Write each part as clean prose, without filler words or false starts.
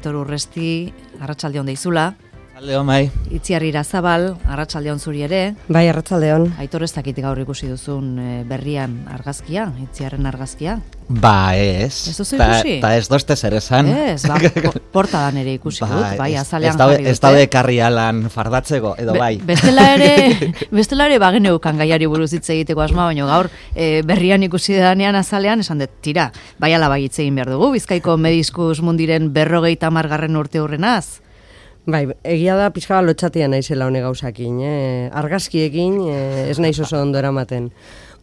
Aitor Urresti, arratsaldeon deizula. Arratsaldeon bai. Itziar Irazabal, arratsaldeon zuri ere. Bai, arratsaldeon. Aitor, ez dakit gaur ikusi duzun berrian argazkia, Itziarren argazkia? Ba, ez. Ez duzu ikusi? Ta ez doste zer esan. Ez, portadan ere ikusi dut, bai, azalean jarri dute. Ez daude karri alan fardatzeko, edo bai. Bestela ere bageneukan gaiari buruz hitz egiteko asma, baina gaur berrian ikusi danean azalean, esan dut, tira, bai ala bai hitz egin behar dugu, Bizkaiko Mediskus Mundiren 50. urte hurrenaz. Bai, egia da pixka lotxatia naizela hone gauzakin, argazkiekin ez naiz oso ondo eramaten.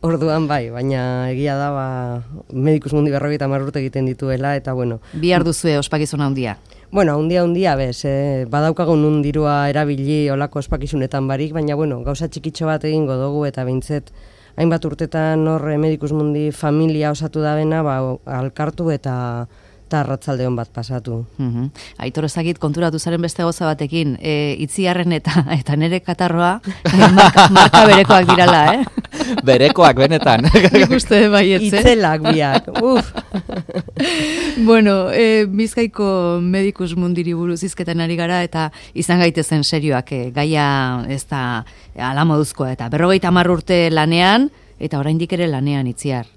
Orduan bai, baina egia da Medicus Mundi 50 urte egiten dituela, eta bueno. Bihar duzue ospakizuna handia? Bueno, handia bez, badaukagun nun dirua erabili olako ospakizunetan barik, baina bueno, gauza txikitxo bat egingo dugu, eta behintzet, hainbat urtetan hor Medicus Mundi familia osatu da bena, alkartu eta arratsaldeon bat pasatu. Aitor, ezagit konturatu zaren beste gauza batekin, Itziarren eta nere katarroa marka berekoak dirala, Berekoak, benetan. Nik uste baietze. Itzelak biak, Bueno, Bizkaiko Medicus Mundiri buruz hizketan ari gara, eta izan gaitezen serioak, gaia ez da alamoduzkoa, eta 50 urte lanean, eta oraindik ere lanean, Itziar.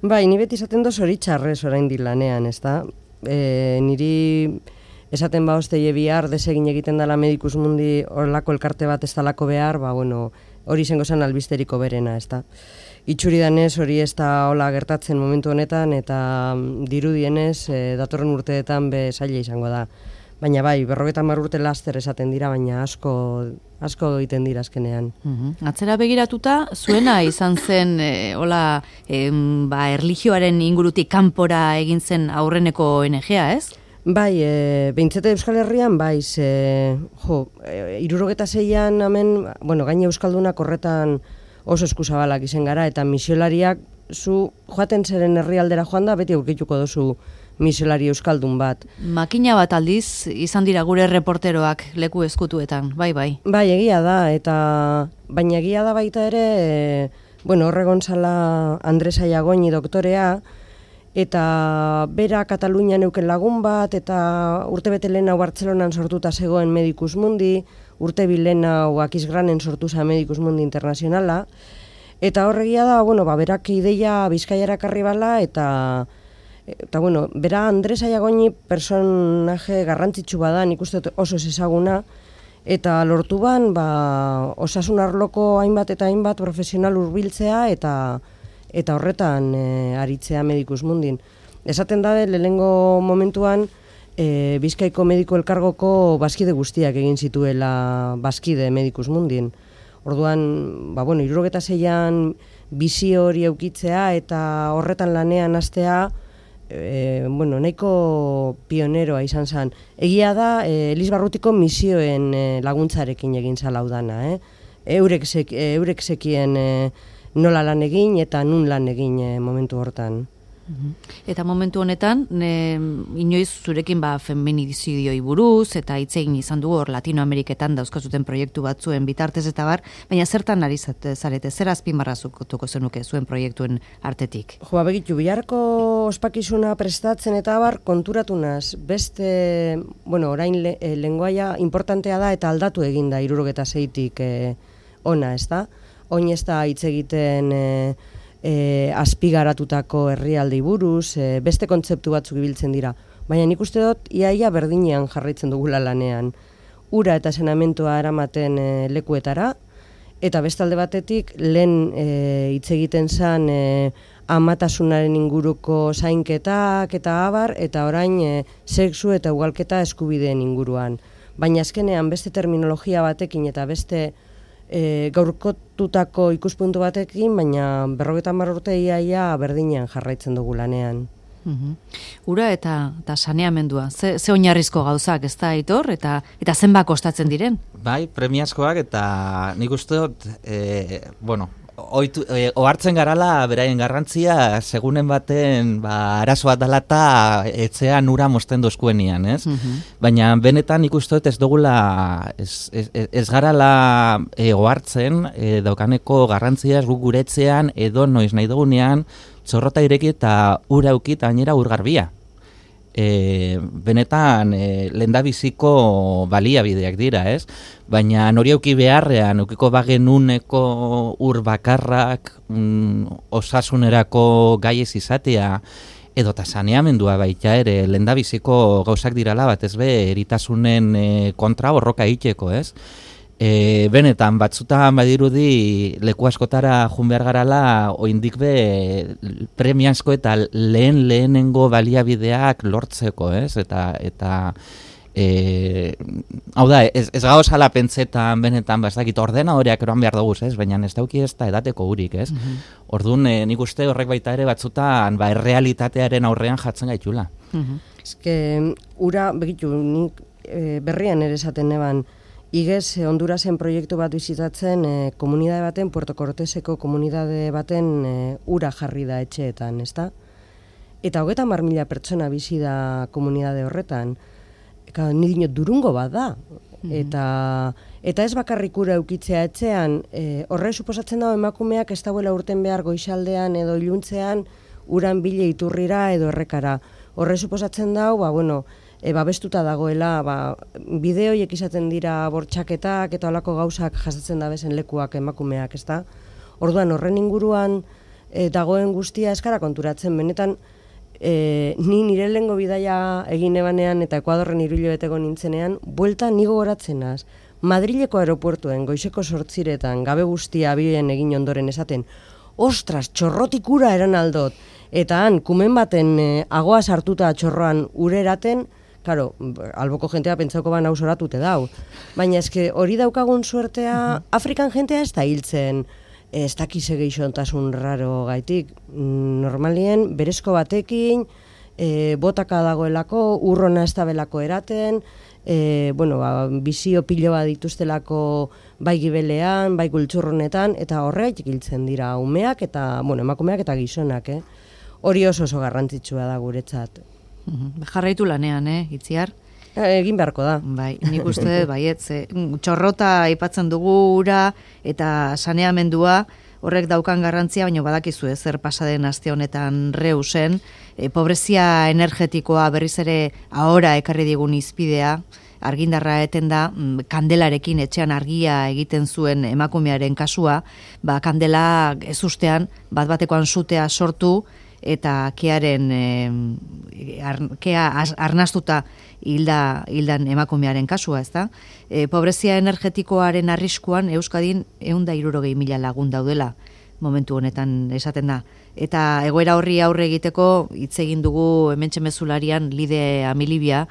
Bai, ni beti esaten doz zoritxarrez oraindik lanean, ezta? Niri esaten osteie bihar desegin egiten dela Medicus Mundi horlako elkarte bat ez dalako behar, hori izango zen albisteriko berena, ezta? Itxuri danez hori ez da hola gertatzen momentu honetan, eta dirudienez datorren urteetan zaila izango da. Baina bai, 50 urte laster esaten dira, baina asko egiten dira azkenean. Atzera begiratuta, zuena izan zen erlijioaren ingurutik kanpora egin zen aurreneko ONG-a, ez? Bai, behintzete Euskal Herrian, bai, 76an hemen, gaine Euskaldunak horretan oso eskuzabalak izen gara, eta misiolariak zu joaten zeren herrialdera joan da, beti aurkituko dozu misiolari euskaldun bat. Makina bat aldiz izan dira gure reporteroak leku eskutuetan, bai. Bai, egia da, baina egia da baita ere, horregon zala Andres Aiagoni doktorea, eta bera Katalunian euken lagun bat, eta urte bete lehen hau Bartzelonan sortuta zegoen Medicus Mundi, urte bilen hau Aquisgranen sortuza Medicus Mundi Internazionala, eta horregia da, berak ideia Bizkaiara karri bala, eta bera Andres Aiagoni personaje garrantzitsu bada, nik uste oso ezaguna, eta lortu ban, osasun arloko hainbat eta hainbat profesional hurbiltzea eta horretan aritzea Medicus Mundin. Esaten da, lehenengo momentuan, Bizkaiko Mediko Elkargoko bazkide guztiak egin zituela bazkide Medicus Mundin. Orduan, 76an bizi hori eukitzea eta horretan lanean hastea, nahiko pioneroa izan zen. Egia da, Elizbarrutiko misioen laguntzarekin egin zala udana. Eurek zekien nola lan egin eta nun lan egin momentu hortan. Eta momentu honetan, inoiz zurekin feminizidioi buruz, eta hitz egin izan dugu hor Latinoameriketan dauzkazuten proiektu batzuen bitartez eta baina zertan ari zarete, zer azpimarrazuko zenuke zuen proiektuen artetik? Begitu, biharko ospakizuna prestatzen eta konturatu naz, beste, orain lenguaia importantea da eta aldatu eginda 76tik ona, ez da? Oin ez da hitz egiten azpigaratutako herrialdei buruz, beste kontzeptu batzuk ibiltzen dira. Baina nik uste dut, iaia berdinean jarraitzen dugula lanean. Ura eta saneamentoa eramaten lekuetara, eta bestalde batetik, lehen hitz egiten zen amatasunaren inguruko zainketak eta abar, eta orain sexu eta ugalketa eskubideen inguruan. Baina azkenean beste terminologia batekin eta beste gaurkotutako ikuspuntu batekin, baina 50 urte iaia berdinean jarraitzen dugu lanean. Ura eta saneamendua, ze oinarrizko gauzak, ez da, Aitor, eta zenbat kostatzen diren? Bai, premiazkoak, eta nik uste dut, ohartzen garala beraien garrantzia, segunen baten arazo bat dela eta etxean ura mosten dozkuenian, ez? Baina benetan ikusten dut ez dugula, ez garala ohartzen daukaneko garrantzia guk gure etxean edo noiz nahi dugunean txorrota ireki eta ura eukit gainera ur garbia. benetan lehendabiziko baliabideak dira, ez? Baina hori auki beharrean, eukiko bagenuneko ur bakarrak osasunerako gaiez izatea, edota saneamendua baita ere, lehendabiziko gauzak dirala bat ez be, eritasunen kontra borroka egiteko, ez? Benetan, batzutan badirudi leku askotara jun behar garala, oindik be premiazko eta lehenengo baliabideak lortzeko, ez? Eta hau da, ez gauzala pentsetan benetan, bastakit ordena horiak eroan behar dugu, ez? Baina ez dauki ez da edateko hurik, ez? Orduan, nik uste horrek baita ere batzutan errealitatearen aurrean jatzen gaitula. Ez que, ura, begitu, nik berrian ere esaten neban, Igez, Hondurasen proiektu bat bizitatzen, komunidade baten, Puerto Corteseko komunidade baten ura jarri da etxeetan, ezta? Eta 30.000 pertsona bizi da komunidade horretan. Ni dinot durungo bat da. Eta ez bakarrik ura eukitzea etxean, horre suposatzen dago emakumeak ez dauela urten behar goixaldean edo iluntzean uran bile iturrira edo errekara. Horre suposatzen dago, babestuta dagoela, bideoiek izaten dira bortxaketak eta olako gauzak jasatzen da bezen lekuak emakumeak, ezta? Orduan horren inguruan dagoen guztia eskara konturatzen, benetan ni nire lehengo bidaia egin ebanean eta Ekuadorren 3 hilabeteko nintzenean, buelta nigo goratzenaz. Madrileko aeropuertuen goizeko 8 gabe guztia abien egin ondoren esaten, ostras, txorrotik ura eran aldot, eta han, kumen baten agoa sartuta txorroan ure eraten, claro, alboko jentea pentsauko ban hau soratute dau. Baina eske hori daukagun suertea, Afrikan jentea ez da hiltzen, ez dakize geixontasun raro gaitik. Normalien, berezko batekin, botaka dagoelako, urrona ez dabelako eraten, bizio pilo bat dituztelako bai gibelean, bai gultxurronetan, eta horregatik hiltzen dira umeak eta, emakumeak eta gizonak, Hori oso garrantzitsua da guretzat. Jarraitu lanean, Itziar? Egin beharko da. Bai, nik uste, txorrota aipatzen dugu ura eta saneamendua, horrek daukan garrantzia, baina badakizu zer pasaden aste honetan Reusen, pobrezia energetikoa berriz ere ahora ekarri digun izpidea, argindarra eten da, kandelarekin etxean argia egiten zuen emakumearen kasua, kandela ezustean bat-batekoan sutea sortu, eta kearen arnastuta hildan emakumearen kasua, ezta? Pobrezia energetikoaren arriskuan Euskadin 160.000 lagun daudela momentu honetan esaten da. Eta egoera horri aurre egiteko hitz egin dugu hementxe mezularian Lide Amilibia,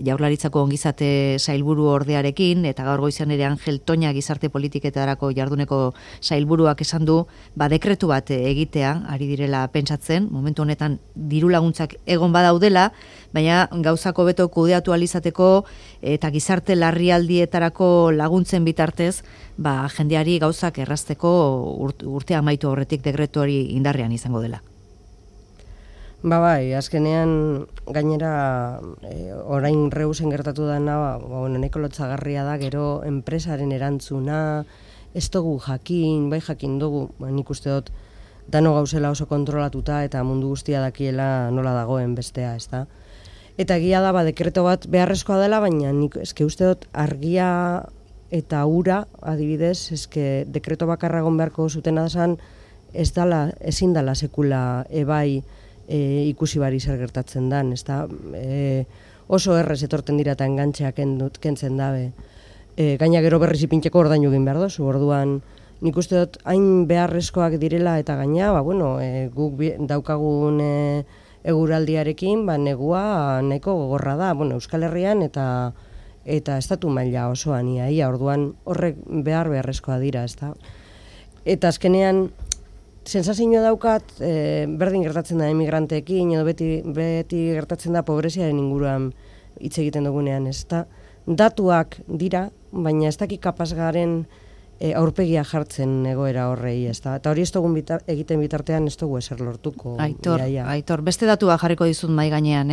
Jaurlaritzako ongizate sailburu ordearekin, eta gaur goizean ere Angel Toña gizarte politiketarako jarduneko sailburuak esan du, dekretu bat egitea, ari direla pentsatzen, momentu honetan diru laguntzak egon badaudela, baina gauzako beto kudeatu alizateko eta gizarte larrialdietarako laguntzen bitartez, jendeari gauzak errazteko urtea amaitu horretik dekretu hori indarrean izango dela. Bai, azkenean gainera orain Reusen gertatu dena, nahiko lotsagarria da, gero enpresaren erantzuna, ez dugu jakin, bai jakin dugu, nik uste dut dano gauzela oso kontrolatuta eta mundu guztia dakiela nola dagoen bestea, ezta? Eta egia da, dekreto bat beharrezkoa dela, baina nik eske uste dut argia eta ura, adibidez, eske dekreto bakarra egon beharko zutena zen, ezin dala sekula ebai ikusi bari zer gertatzen dan, ezta? Oso errez etorten dira eta engantxeak kentzen dabe. Gaina gero berriz ipintzeko ordainu egin behar dozu, orduan nik uste dut hain beharrezkoak direla eta gaina, guk daukagun eguraldiarekin, negua nahiko gogorra da, Euskal Herrian eta estatu maila osoan ia, orduan horrek beharrezkoa dira, ezta? Eta azkenean, sensazio daukat, berdin gertatzen da emigranteekin, edo beti gertatzen da pobreziaren inguruan hitz egiten dugunean, ezta? Datuak dira, baina ez dakik kapaz garen aurpegia jartzen egoera horrei, ezta? Eta hori ez dugun egiten bitartean ez dugu eser lortuko. Aitor, beste datua jarriko dizut mai gainean,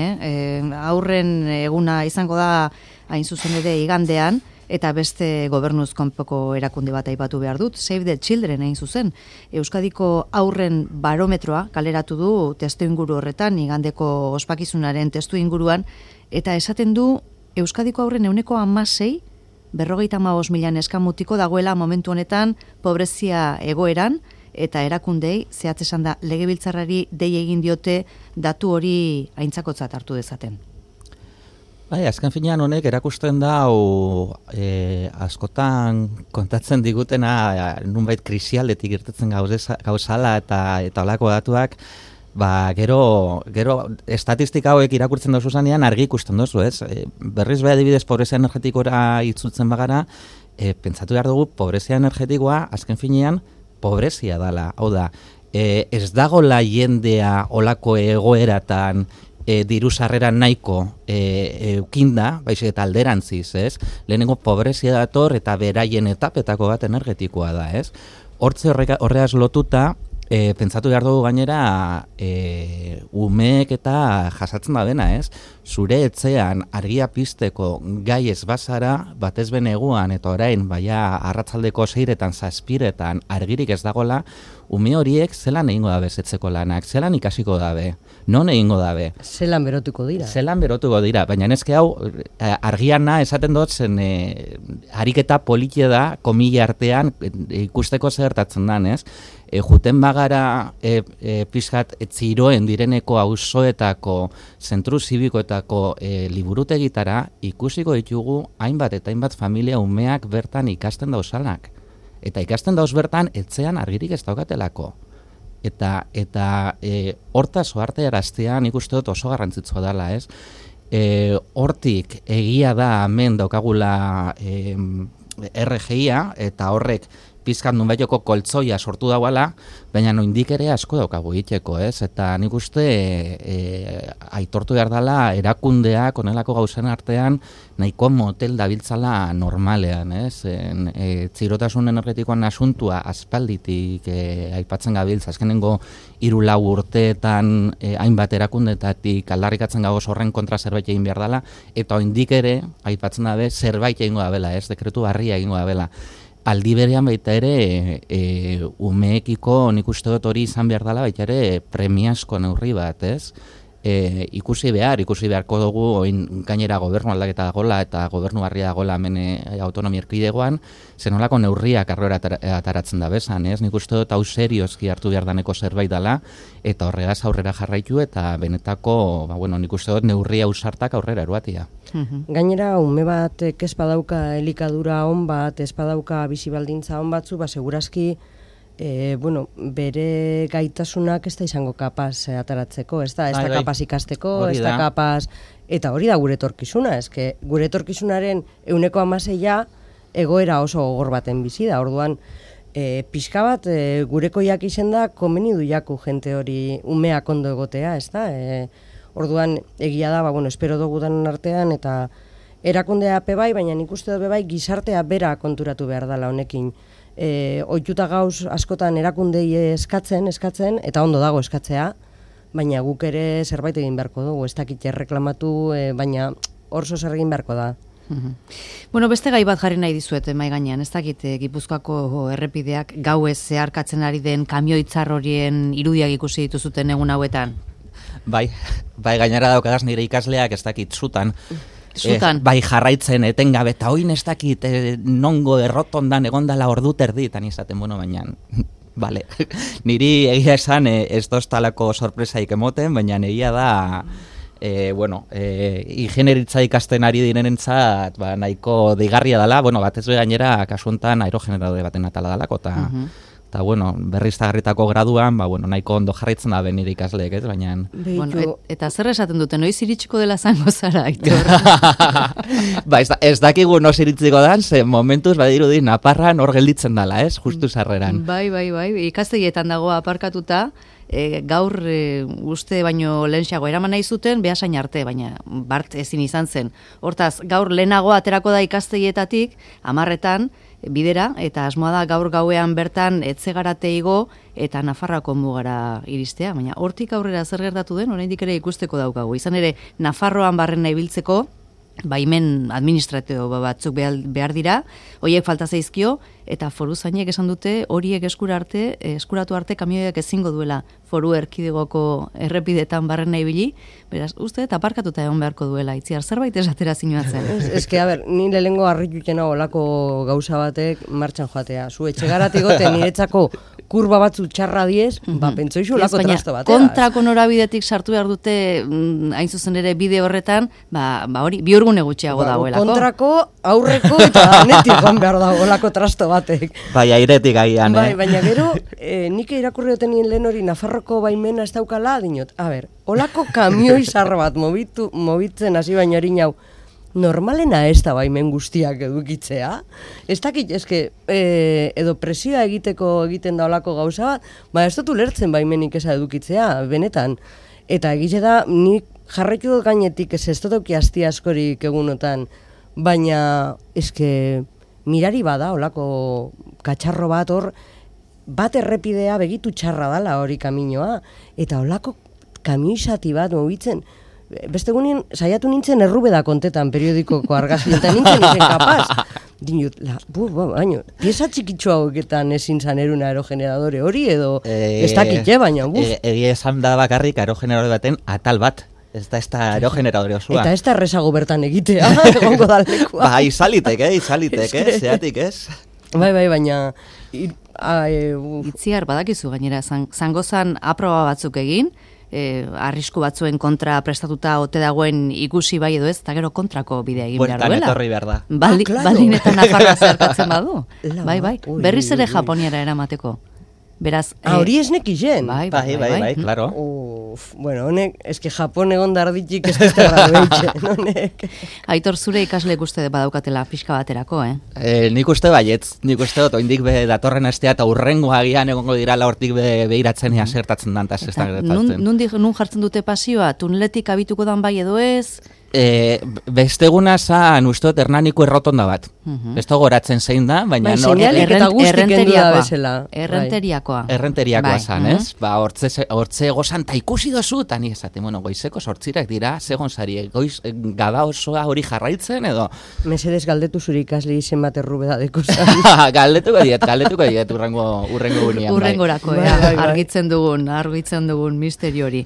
aurren eguna izango da hain zuzen ere igandean, Eta beste gobernuz konpoko erakunde bat aipatu behar dut, Save the Children egin zuzen. Euskadiko haurren barometroa kaleratu du testu inguru horretan, igandeko ospakizunaren testu inguruan, eta esaten du Euskadiko haurren 16%, 55.000 neskamutiko dagoela momentu honetan pobrezia egoeran, eta erakundei, zehatz esan da, legebiltzarrari dei egin diote datu hori aintzakotzat hartu dezaten. Bai, azken finean honek erakusten da askotan kontatzen digutena nunbait krisialdetik irtetzen gauzala eta holako datuak, gero estatistika hauek irakurtzen dozu zanean argi ikusten dozu, ez? Berriz beha adibidez pobrezia energetikora itzultzen bagara, pentsatu behar dugu pobrezia energetikoa azken finean pobrezia dala, hau da, ez dagoela jendea olako egoeratan diru sarrera nahiko eukinda, baizik eta alderantziz, ez? Lehenengo pobrezia dator eta beraien etapetako bat energetikoa da, ez? Horreaz lotuta, pentsatu behar dugu gainera umeek eta jasatzen da dena, ez? Zure etxean argia pizteko gai ez bazara, batez beneguan eta orain, baina arratzaldeko 6etan, 7etan argirik ez dagola, ume horiek zelan egingo dabe zetzeko lanak, zelan ikasiko dabe, non egingo dabe. Zelan berotuko dira. Zelan berotuko dira, baina neske hau argiana esaten dut zen ariketa politia da, komila artean ikusteko zertatzen dan, ez? Juten bagara pixkat txiroen direneko auzoetako zentru zibikoetako liburutegitara ikusiko ditugu hainbat eta hainbat familia umeak bertan ikasten dauzanak. Eta ikasten dauz bertan etxean argirik ez daukatelako. Eta hortaz oarte eraztean ikuste dut oso garrantzitsua dela, ez? Hortik egia da hemen daukagula RGIa eta horrek pizkat nunbaitoko koltzoia sortu dauala, baina noindik ere asko daukagu egiteko, ez? Eta nik uste aitortu behar dela erakundeak onelako gauzen artean nahiko motel dabiltzala normalean, ez? Txirotasun energetikoan asuntua aspalditik aipatzen gabiltza, azkenengo 3-4 urteetan hainbat erakundetatik aldarrikatzen gagoz horren kontra zerbait egin behar dela, eta oindik ere aipatzen dabe zerbait egingo dabela, ez? Dekretu barria egingo dabela. Aldi berean baita ere umeekiko nik uste dut hori izan behar dela baita ere premiazko neurri bat, ez? Ikusi beharko dugu oin gainera gobernu aldaketa dagoela eta gobernu barria dagoela hemen autonomia erkidegoan, zenolako neurriak arrora ataratzen da bezan, ez? Nik uste dut hau seriozki hartu behar daneko zerbait dela eta horregaz aurrera jarraitu eta benetako, nik uste dut neurria ausartak aurrera eruatia. Gainera, ume bat ez badauka elikadura on bat, ez badauka bizibaldintza on batzu, segurazki bere gaitasunak ez da izango kapaz ataratzeko, ez da kapaz ikasteko, ez da kapaz, eta hori da gure etorkizuna, gure etorkizunaren 16% egoera oso gogor baten bizi da, orduan pixka bat gurekoiak izen da komeni du jaku jente hori umeak ondo egotea, ez da, orduan egia da, espero dugu danen artean, eta erakundea bai, baina nik uste dut bai gizartea bera konturatu behar dela honekin. Ohituta gauz askotan erakundei eskatzen, eta ondo dago eskatzea, baina guk ere zerbait egin beharko dugu, ez dakit erreklamatu, baina orso zer egin beharko da. Beste gai bat jarri nahi dizuet mai gainean, ez dakit Gipuzkoako errepideak gauez zeharkatzen ari den kamioitzar horien irudiak ikusi dituzuten egun hauetan. Bai, gainera daukagaz nire ikasleak ez dakit zutan. Bai jarraitzen etengabe eta oin ez dakit nongo errotondan egondala ordu terditan izaten, baina vale. Niri egia esan ez doztalako sorpresaik emoten, baina egia da ingenieritza ikasten ari direnentzat nahiko deigarria dela, batez gainera kasu honetan aerogeneradore baten atala dalako eta berriztagarritako graduan nahiko ondo jarraitzen da nire ikasleek, ez, baina eta zer esaten dute, noiz iritsiko dela zango zara, Aitor? Ez dakigu noiz iritsiko dan, ze momentuz badirudi Naparran hor gelditzen dela, ez, justu sarreran. Bai, ikastegietan dago aparkatuta, gaur uste baino lehenxago eraman nahi zuten, behasain arte, baina bart ezin izan zen. Hortaz, gaur lehenago aterako da ikastegietatik, 10etan, bidera, eta asmoa da gaur gauean bertan etzegarate igo eta Nafarroako mugara iristea, baina hortik aurrera zer gertatu den, oraindik ere ikusteko daukagu. Izan ere, Nafarroan barrena ibiltzeko, baimen administratibo batzuk behar dira, horiek falta zaizkio, eta foruzainek esan dute horiek eskuratu arte kamioiak ezingo duela foru erkidegoko errepidetan barrena ibili, beraz, uste eta aparkatuta egon beharko duela, Itziar, zerbait esatera zinuatzen. A ber, ni lehengo harritutena olako gauza batek martxan joatea. Zu etxegaratik gote niretzako kurba batzu txarra diez, pentsoizu olako trasto batea. Kontrako norabidetik sartu behar dute, hain zuzen ere bide horretan, hori, biurgune gutxiago dagoelako. Kontrako, aurreko eta danetik joan behar dagoelako trasto batek. Bai, airetik agian, Baina gero, nik irakurri duten nien lehen hori Nafarroko baimena ez daukala, dinot, olako kamioi zar bat mobitzen hasi baina hori nau, normalena ez da baimen guztiak edukitzea. Ez dakit, edo presioa egiten da olako gauza bat, ez dut ulertzen baimenik eza edukitzea, benetan. Eta egize da, nik jarraitu dut gainetik ez dut auki asti askorik egunotan, baina mirari bada olako katxarro bat hor, bat errepidea begitu txarra dala hori kaminoa, eta olako kamioizati bat mobitzen, beste egunean saiatu nintzen Errubeda kontetan periodikoko argazki, eta nintzen kapaz. Dinut, baina, pieza txikitxo haueketan ezin zan erun aerogeneradore hori, edo ez dakitxe, baina, Egia esan da bakarrik aerogeneradore baten atal bat. Ez da aerogeneradore osua. Eta ez da errezago bertan egitea, egongo dalekua. Bai, izalitek, zeatik ez? Bai, baina... Itziar, badakizu gainera, zangozan aproba batzuk egin, arrisku batzuen kontra prestatuta ote dagoen ikusi bai edo ez, eta gero kontrako bidea egin behar duela. Bueltan etorri behar da. Baldin eta Nafarroa zertatzen badu. Bai, berriz ere Japoniara eramateko. Beraz... hori ez nekizen. Bai, klaro. Bueno, honek, Japon egon darditik ez dut errabeitxen, honek. Aitor, zure ikasleek uste badaukatela pixka baterako, Nik uste baietz, nik uste dut, oindik datorren astea eta urrengo agian egongo dirala hortik behiratzen ea zertatzen dan, eta ez da gertatzen. Nun jartzen dute pasioa, tuneletik abituko dan bai edo ez? Beste eguna zan uste dut Hernaniko errotonda bat. Beste goratzen zein da, baina... Errenteriakoa zan, ez? Hortze gozan, ta ikusi dozu, eta ni esate, goizeko sortzirak dira, segon zari, goiz gada osoa hori jarraitzen, edo... Mesedez galdetu zuri ikasle izen bat errubedadeko zan. Galdetuko diet, urrengo gunean. Urrengorako, argitzen dugun misteri hori.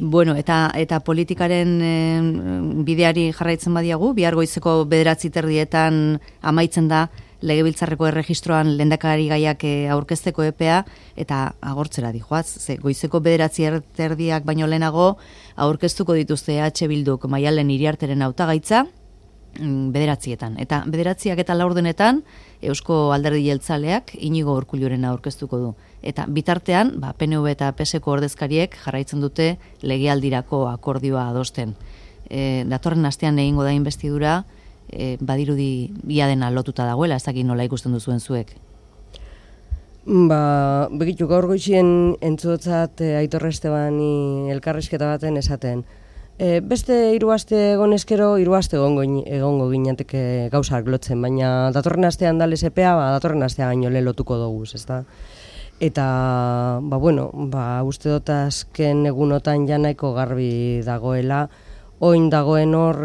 Bueno, eta politikaren bideari jarraitzen badiagu, bihar goizeko 9:30 amaitzen da Legebiltzarreko erregistroan lehendakari gaiak aurkezteko epea, eta agortzera dijoaz, goizeko 9:30 baino lehenago aurkeztuko dituzte Bilduk Maialen Iriarteren hautagaitza 9:00, eta 9:04 Eusko Alderdi Jeltzaleak Inigo Urkulluren aurkeztuko du. Eta bitartean, PNV eta PSko ordezkariek jarraitzen dute legealdirako akordioa adosten. Datorren astean egingo da investidura, badirudi ia dena lotuta dagoela, ez dakit nola ikusten duzuen zuek. Begitu, gaur goizien entzutzat Aitor Estebani elkarrizketa baten esaten. Beste 3 aste egon eskero, 3 aste egongo ginateke gauzak lotzen, baina datorren astean da lesepea, datorren astea gaino lotuko dugu, ezta? Eta, uste dut azken egunotan ja nahiko garbi dagoela, oin dagoen hor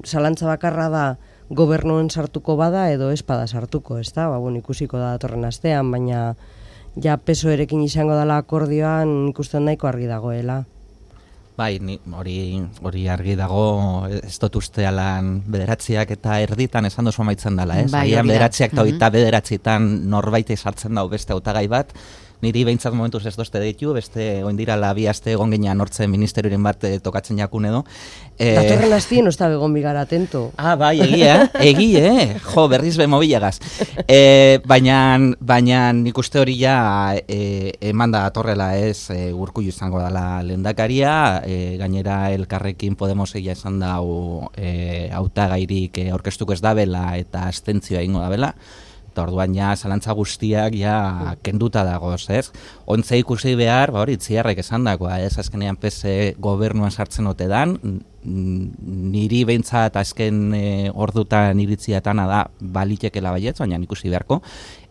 zalantza bakarra da gobernuen sartuko bada edo espada sartuko, ez da? Ikusiko da datorren astean, baina ja PSOErekin izango dela akordioan ikusten nahiko argi dagoela. Bai, hori argi dago, ez dut uste alan 9:00 eta erditan esan dozu amaitzen dela, ez? Agian 9:00 eta 9:30 norbait sartzen dago beste hautagai bat, niri behintzat momentuz ez dozte ditu, beste oindirala 2 aste egon ginean hortzen ministerioaren bat tokatzen jakun edo. Datorren astien osta begon bigara atento. Bai, egie, jo, berriz be mobilagaz. Baina nik uste hori ja eman da atorrela ez Urkullu izango dela lehendakaria, gainera Elkarrekin Podemos egia esan dau hautagairik aurkeztuko ez dabela eta abstentzioa egingo dabela. Eta orduan ja zalantza guztiak ja kenduta dagoz, ez? Ontze ikusi behar, hori Itziarrek esan dagoa, ez? Azkenean PS gobernuan sartzen ote dan, niri behintzat azken ordutan iritziatana da balitekela baietz, baina ikusi beharko,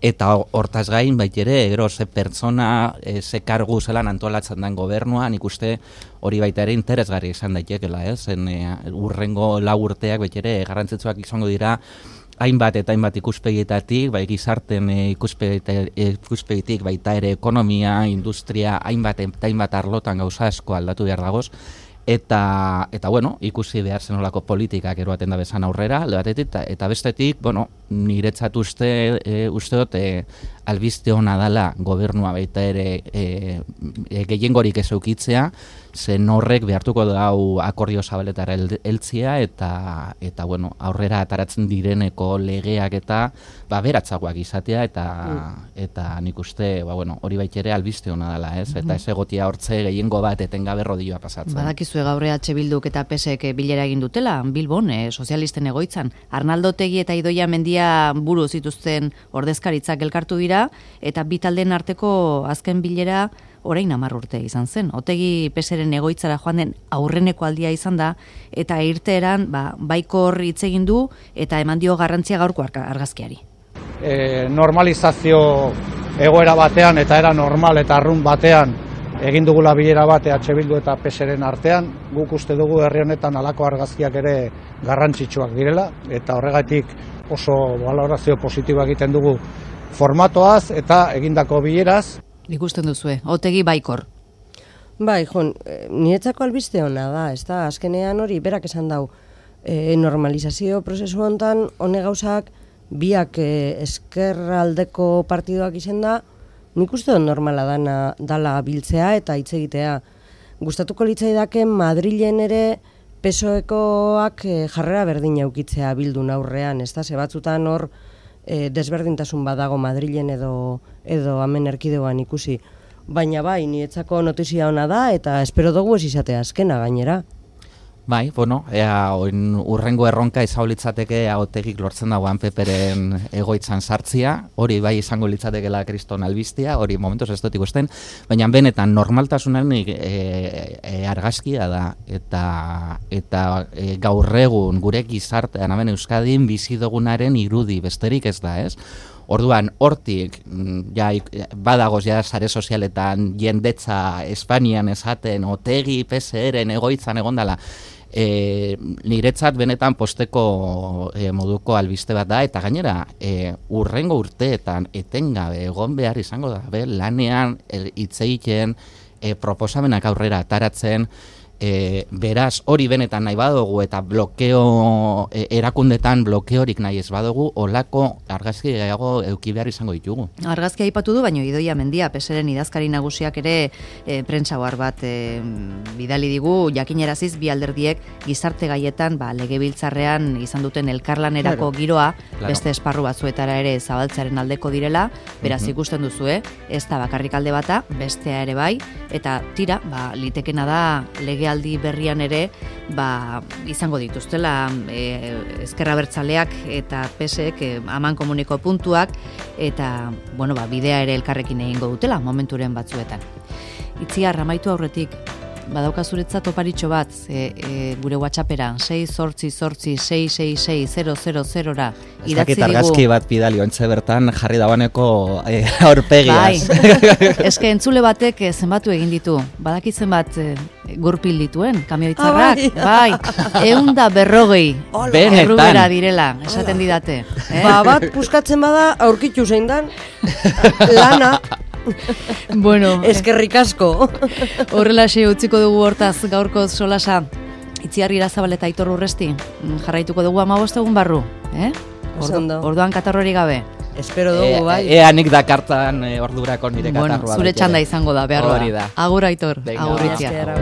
eta hortaz gain baitere, gero ze pertsona, ze kargu zelan antolatzen den gobernua, nik uste hori baita ere interesgarri izan daitekela, zen urrengo 4 urteak baitere garrantzitsuak izango dira, hainbat eta hainbat ikuspegietatik, bai gizarten ikuspegitik, baita ere ekonomia, industria, hainbat arlotan gauza asko aldatu behar dagoz, eta bueno, ikusi behar zenolako politikak eroaten da bezan aurrera, alde batetik, eta bestetik, bueno, niretzat uste dut albiste hona dala gobernua baita ere gehiengorik ez eukitzea, zen horrek behartuko dau akordio zabaletara heltzia eta bueno, aurrera ataratzen direneko legeak eta beratzagoak izatea eta nik uste bueno, hori baitere albiste hona dela, ez? Eta ez egotia hortze gehiengo bat etengabe rodilloa pasatzen. Badakizue gaur EH Bilduk eta PSek bilera egin dutela, Bilbon, sozialisten egoitzan. Arnaldo Otegi eta Idoia Mendia buru zituzten ordezkaritzak elkartu dira, eta bi taldeen arteko azken bilera orain 10 urte izan zen. Otegi PSren egoitzara joan den aurreneko aldia izan da, eta irteeran baikor hitz egin du eta eman dio garrantzia gaurko argazkiari. Normalizazio egoera batean eta era normal eta arrun batean egin dugula bilera bat EH Bildu eta PSren artean, guk uste dugu herri honetan halako argazkiak ere garrantzitsuak direla, eta horregatik oso balorazio positiboa egiten dugu formatoaz eta egindako bileraz. Ikusten duzue, Otegi baikor. Bai, niretzako albiste hona da, ez da, azkenean hori berak esan dau, normalizazio prozesu hontan, hone gauzak, biak eskerraldeko partidoak izen da, nik uste dut normala dala biltzea eta hitz egitea. Gustatuko litzaidaken Madrilen ere PSOEkoak jarrera berdina ukitzea Bildun aurrean, ez da, ze batzutan hor desberdintasun badago Madrilen edo hemen erkidegoan ikusi. Baina bai, niretzako notizia ona da eta espero dugu ez izatea azkena gainera. Bai, bueno, urrengo erronka izango litzateke Otegik lortzen dagoan PPren egoitzan sartzia, hori bai izango litzatekela kriston albistia, hori momentuz ez dut ikusten, baina benetan normaltasunaren argazkia da, eta gaur egun gure gizartean hemen Euskadin bizi dugunaren irudi besterik ez da, ez? Orduan, hortik, badagoz sare sozialetan jendetza Espainian esaten Otegi PSren egoitzan egondala, niretzat benetan posteko moduko albiste bat da, eta gainera urrengo urteetan etengabe egon behar izango da, lanean hitz egiten proposamenak aurrera ataratzen, beraz hori benetan nahi badugu eta blokeo erakundetan blokeorik nahi ez badugu, olako argazki gehiago eduki behar izango ditugu. Argazkia aipatu du, baino Idoia Mendia PSren idazkari nagusiak ere prentsa ohar bat bidali digu, jakineraziz bi alderdiek gizarte gaietan legebiltzarrean izan duten elkarlanerako giroa beste esparru batzuetara ere zabaltzaren aldeko direla, beraz ikusten duzu, ez da bakarrik alde bata, bestea ere bai, eta tira, litekena da legealdi berrian ere izango dituztela Ezker Abertzaleak eta PSek aman komuniko puntuak eta bidea ere elkarrekin egingo dutela momenturen batzuetan. Itziar, amaitu aurretik, badauka zuretzat oparitxo bat gure WhatsAppera 688-666-000ra idatzi digu. Argazki bat bidali ontze bertan jarri dagoeneko aurpegiaz. Eske entzule batek zenbatu egin ditu. Badakit zenbat gurpil dituen kamioitzarrak. Bai, 140 errubera direla, esaten didate. Bat puskatzen bada aurkitu zein dan lana. Bueno, eskerrik asko. Horrelaxe utziko dugu hortaz gaurko solasa. Itziar Irazabal eta Aitor Urresti jarraituko dugu 15 egun barru, Orduan katarrori gabe. Espero dugu, bai. Ea nik dakartan ordurako nire katarroa. Zure txanda izango da, behar da. Hori da. Agur Aitor, agur Itziar.